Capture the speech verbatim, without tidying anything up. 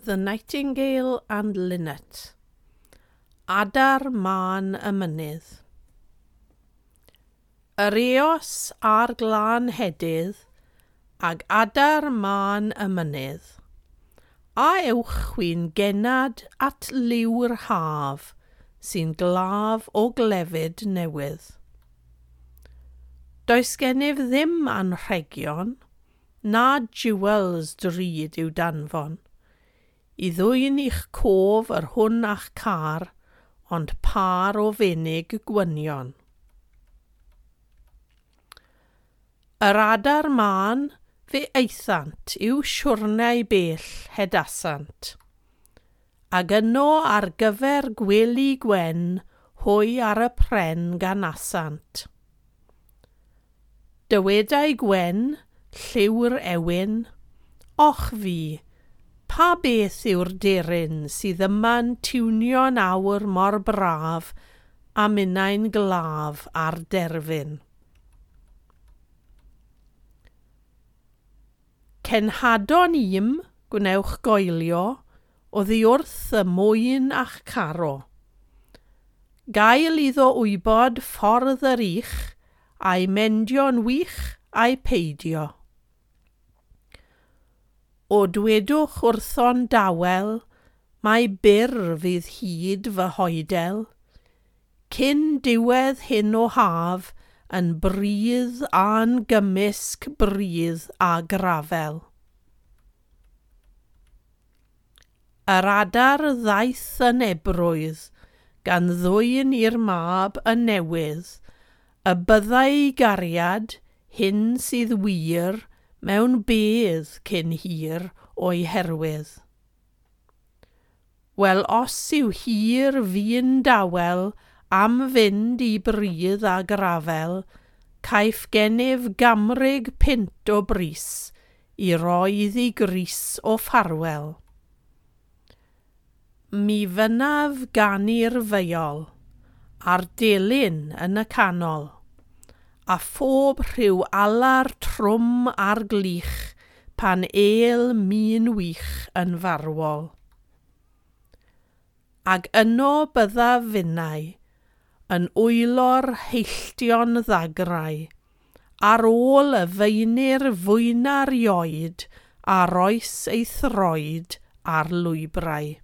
The Nightingale and Linnet. Adar Mân y Mynydd. Yr eos a'r glân hedydd, ag adar mân y mynydd. A ewch chwi'n gennad at liw'r haf, sy'n glaf o glefyd newydd. Does gennyf ddim anrhegion, na jewels drud i'w danfon, i ddwyn i'ch cof yr hwn a'ch car, ond pâr o fenig gwynion. Yr adar mân fe aethant i'w siwrnau bell hedasant, ag yno ar gyfer gwely gwen hwy ar y pren ganasant. Dywedai Gwen, lliw'r ewyn, och fi, pa beth yw'r deryn sydd yma'n tiwnio'n awr mor braf a minnau'n glaf ar derfyn? Cenhadon im, gwnewch goelio, oddi wrth y mwyn a'ch caro. Gael iddo wybod ffordd yr ych, a'i mendio'n wych a'i peidio. O dwedwch wrtho'n dawel, mai byr fydd hyd fy hoedel, cyn diwedd hyn o haf yn bridd a'n gymysg bridd a grafel. Yr adar ddaeth yn ebrwydd, gan ddwyn i'r mab y newydd, y byddai gariad, hyn sydd wir, mewn bedd cyn hir o'i herwydd. Wel, os yw hir fu'n dawel am fynd i bridd a grafel, caiff gennyf gamrig punt o bris i roi iddi grys o ffarwel. Mi fynnaf ganu'r feiol, a'r delyn yn y canol, a phob rhyw alar trwm ar glich pan êl min wych yn farwol. Ag yno byddaf finnau, yn wylo'r heilltion ddagrau, ar ôl y feinir fwyna'r ioed a roes ei throed ar lwybrau.